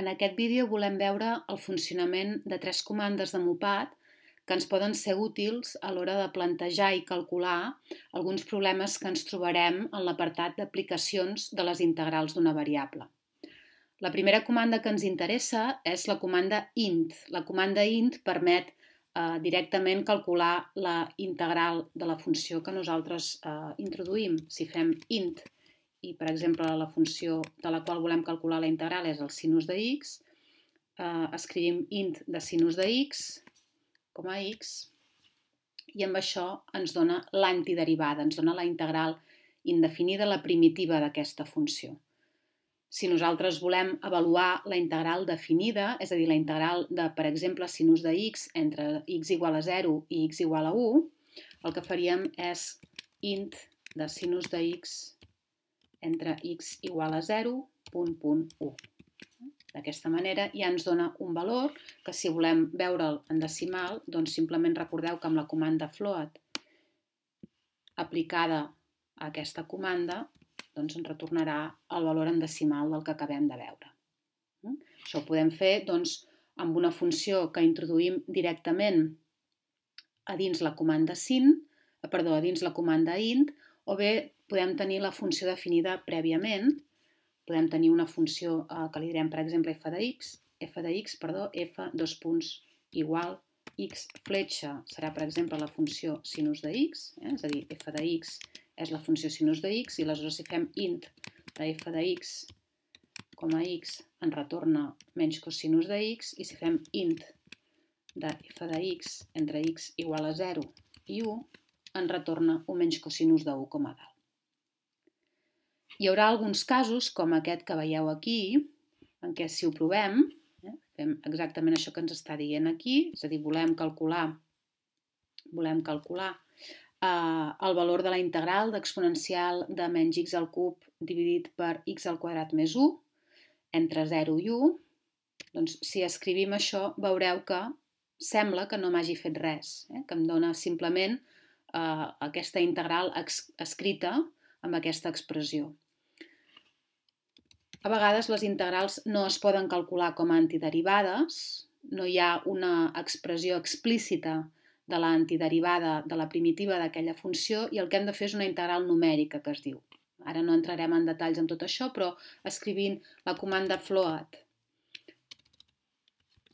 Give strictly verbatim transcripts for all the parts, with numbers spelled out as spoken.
En aquest vídeo volem veure el funcionament de tres comandes de Mopat que ens poden ser útils a l'hora de plantejar i calcular alguns problemes que ens trobarem en l'apartat d'aplicacions de les integrals d'una variable. La primera comanda que ens interessa és la comanda int. La comanda int permet eh, directament calcular la integral de la funció que nosaltres eh, introduïm. Si fem int i, per exemple, la funció de la qual volem calcular la integral és el sinus de x, eh, escrivim int de sinus de x com a x i amb això ens dona l'antiderivada, ens dona la integral indefinida, la primitiva d'aquesta funció. Si nosaltres volem avaluar la integral definida, és a dir, la integral de, per exemple, sinus de x entre x igual a zero i x igual a u, el que faríem és int de sinus de x entre x igual a zero, punt, punt, u. D'aquesta manera ja ens dona un valor que si volem veure'l en decimal, doncs simplement recordeu que amb la comanda float aplicada a aquesta comanda doncs ens retornarà el valor en decimal del que acabem de veure. Això ho podem fer doncs, amb una funció que introduïm directament a dins la comanda sin, perdó, a dins la comanda int, o bé podem tenir la funció definida prèviament. Podem tenir una funció eh, que li direm, per exemple, f de x, f de x, perdó, f, dos punts, igual, x fletxa serà, per exemple, la funció sinus de x, eh? És a dir, f de x és la funció sinus de x, i aleshores si fem int de f de x com a x ens retorna menys cosinus de x, i si fem int de f de x entre x igual a zero i u ens retorna un menys cosinus de u com a dalt. Hi haurà alguns casos, com aquest que veieu aquí, en què si ho provem, eh, fem exactament això que ens està dient aquí, és a dir, volem calcular, volem calcular eh, el valor de la integral d'exponencial de menys x al cub dividit per x al quadrat més u, entre zero i u, doncs si escrivim això veureu que sembla que no m'hagi fet res, eh, que em dona simplement eh, aquesta integral escrita amb aquesta expressió. A vegades les integrals no es poden calcular com a antiderivades, no hi ha una expressió explícita de l'antiderivada de la primitiva d'aquella funció i el que hem de fer és una integral numèrica que es diu. Ara no entrarem en detalls en tot això, però escrivint la comanda float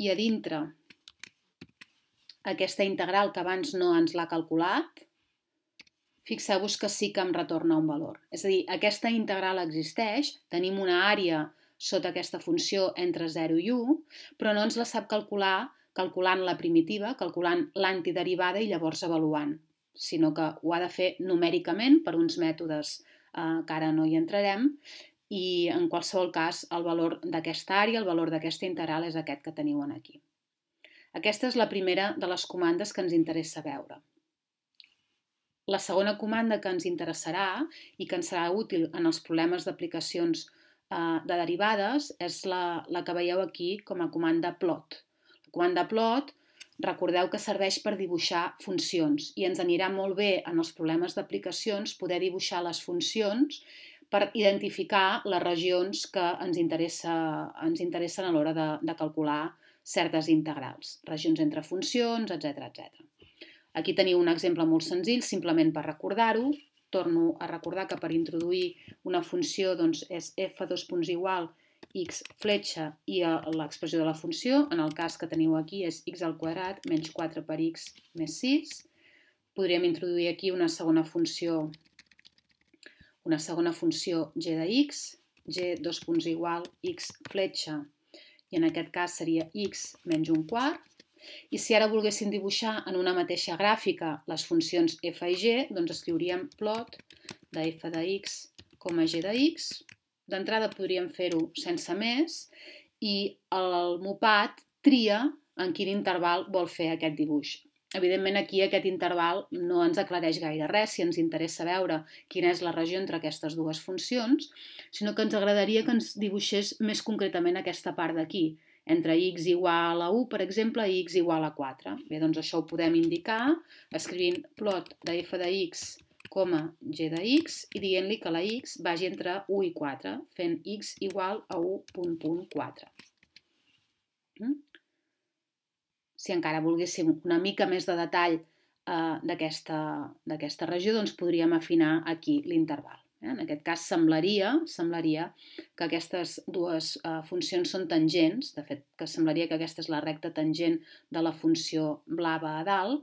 i a dintre aquesta integral que abans no ens l'ha calculat, fixeu-vos que sí que em retorna un valor. És a dir, aquesta integral existeix, tenim una àrea sota aquesta funció entre zero i u, però no ens la sap calcular calculant la primitiva, calculant l'antiderivada i llavors avaluant, sinó que ho ha de fer numèricament per uns mètodes eh, que ara no hi entrarem, i en qualsevol cas el valor d'aquesta àrea, el valor d'aquesta integral és aquest que teniu aquí. Aquesta és la primera de les comandes que ens interessa veure. La segona comanda que ens interessarà i que ens serà útil en els problemes d'aplicacions eh, de derivades és la, la que veieu aquí com a comanda plot. La comanda plot, recordeu que serveix per dibuixar funcions i ens anirà molt bé en els problemes d'aplicacions poder dibuixar les funcions per identificar les regions que ens, interessa, ens interessen a l'hora de, de calcular certes integrals, regions entre funcions, etcètera, etcètera. Aquí teniu un exemple molt senzill, simplement per recordar-ho. Torno a recordar que per introduir una funció doncs, és f dos punts igual x fletxa i l'expressió de la funció. En el cas que teniu aquí és x al quadrat menys quatre per x més sis. Podríem introduir aquí una segona funció, una segona funció g de x, g dos punts igual x fletxa, i en aquest cas seria x menys un quart. I si ara volguéssim dibuixar en una mateixa gràfica les funcions f i g, doncs escriuríem plot de f de x com a g de x. D'entrada podríem fer-ho sense més i el Mopat tria en quin interval vol fer aquest dibuix. Evidentment aquí aquest interval no ens aclareix gaire res si ens interessa veure quina és la regió entre aquestes dues funcions, sinó que ens agradaria que ens dibuixés més concretament aquesta part d'aquí, entre x igual a u, per exemple, i x igual a quatre. Bé, doncs això ho podem indicar escrivint plot de f de x com a g de x i dient-li que la x vagi entre u i quatre, fent x igual a u punt punt quatre. Si encara volguéssim una mica més de detall d'aquesta regió, doncs podríem afinar aquí l'interval. En aquest cas semblaria, semblaria que aquestes dues funcions són tangents, de fet que semblaria que aquesta és la recta tangent de la funció blava a dalt,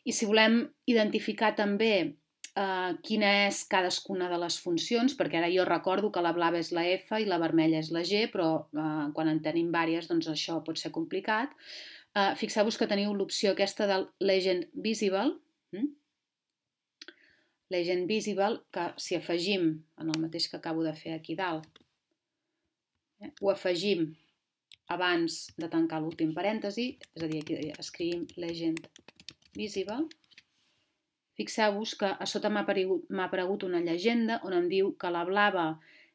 i si volem identificar també eh, quina és cadascuna de les funcions, perquè ara jo recordo que la blava és la F i la vermella és la G, però eh, quan en tenim diverses doncs això pot ser complicat. Eh, Fixeu-vos que teniu l'opció aquesta del Legend Visible, hm? Legend Visible, que si afegim, en el mateix que acabo de fer aquí dalt, eh, ho afegim abans de tancar l'últim parèntesi, és a dir, aquí escrivim Legend Visible, fixeu-vos que a sota m'ha aparegut, aparegut una llegenda on em diu que la blava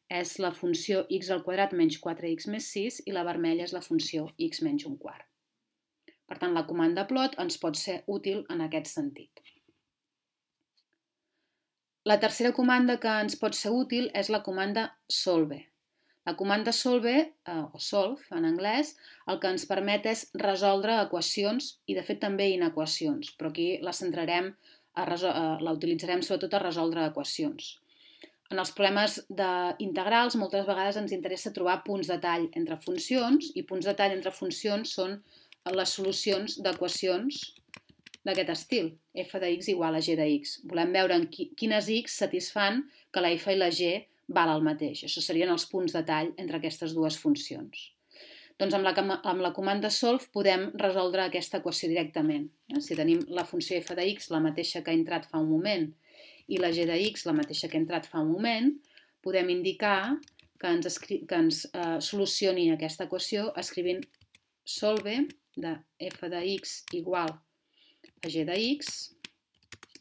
és la funció x al quadrat menys quatre x més sis i la vermella és la funció x menys un quart. Per tant, la comanda plot ens pot ser útil en aquest sentit. La tercera comanda que ens pot ser útil és la comanda solve. La comanda solve, eh, o solve en anglès, el que ens permet és resoldre equacions i de fet també inequacions, però aquí la centrarem, a la utilitzarem sobretot a resoldre equacions. En els problemes d'integrals moltes vegades ens interessa trobar punts de tall entre funcions i punts de tall entre funcions són les solucions d'equacions d'aquest estil, f de x igual a g de x. Volem veure en quines x satisfan que la f i la g val el mateix. Això serien els punts de tall entre aquestes dues funcions. Doncs amb la, amb la comanda solve podem resoldre aquesta equació directament. Si tenim la funció f de x, la mateixa que ha entrat fa un moment, i la g de x, la mateixa que ha entrat fa un moment, podem indicar que ens, que ens eh, solucioni aquesta equació escrivint solve de f de x igual a g de x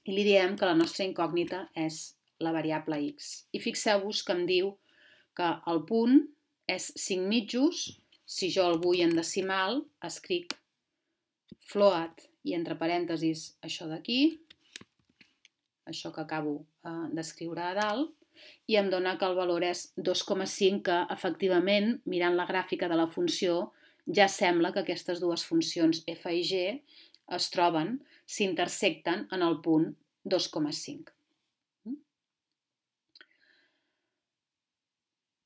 i li diem que la nostra incògnita és la variable x. I fixeu-vos que em diu que el punt és cinc mitjos, si jo el vull en decimal, escric float i entre parèntesis això d'aquí, això que acabo eh, d'escriure a dalt, i em dona que el valor és dos coma cinc, que efectivament, mirant la gràfica de la funció, ja sembla que aquestes dues funcions f i g es troben, s'intersecten en el punt dos coma cinc.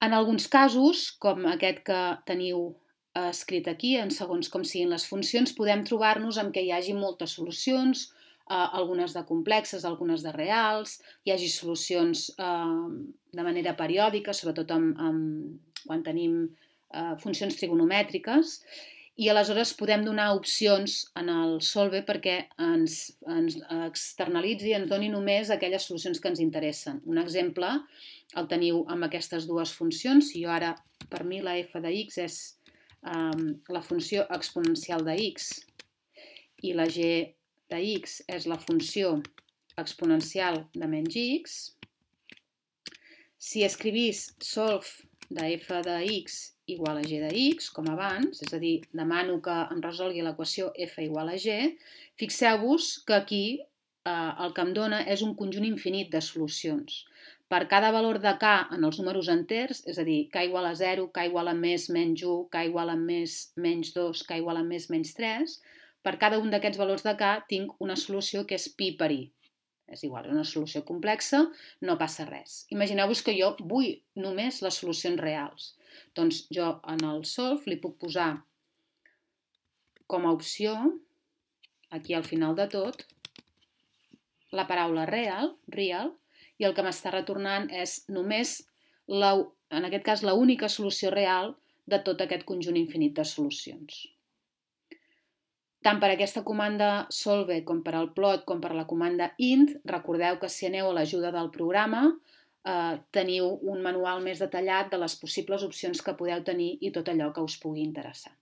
En alguns casos, com aquest que teniu escrit aquí, en segons com siguin les funcions, podem trobar-nos amb que hi hagi moltes solucions, eh, algunes de complexes, algunes de reals, hi hagi solucions eh, de manera periòdica, sobretot amb, amb, quan tenim eh, funcions trigonomètriques, i aleshores podem donar opcions en el solve perquè ens, ens externalitzi i ens doni només aquelles solucions que ens interessen. Un exemple el teniu amb aquestes dues funcions. Si jo ara, per mi, la f de x és um, la funció exponencial de x i la g de x és la funció exponencial de menys x, si escrivís solve de f de x igual a g de x, com abans, és a dir, demano que em resolgui l'equació f igual a g, fixeu-vos que aquí eh, el que em dona és un conjunt infinit de solucions. Per cada valor de k en els números enters, és a dir, k igual a zero, k igual a més menys u, k igual a més menys dos, k igual a més menys tres, per cada un d'aquests valors de k tinc una solució que és pi per i. És igual, és una solució complexa, no passa res. Imagineu-vos que jo vull només les solucions reals. Doncs jo en el solve li puc posar com a opció, aquí al final de tot, la paraula real, real, i el que m'està retornant és només, la, en aquest cas, l'única solució real de tot aquest conjunt infinit de solucions. Tant per aquesta comanda solve com per al plot com per la comanda int, recordeu que si aneu a l'ajuda del programa eh, teniu un manual més detallat de les possibles opcions que podeu tenir i tot allò que us pugui interessar.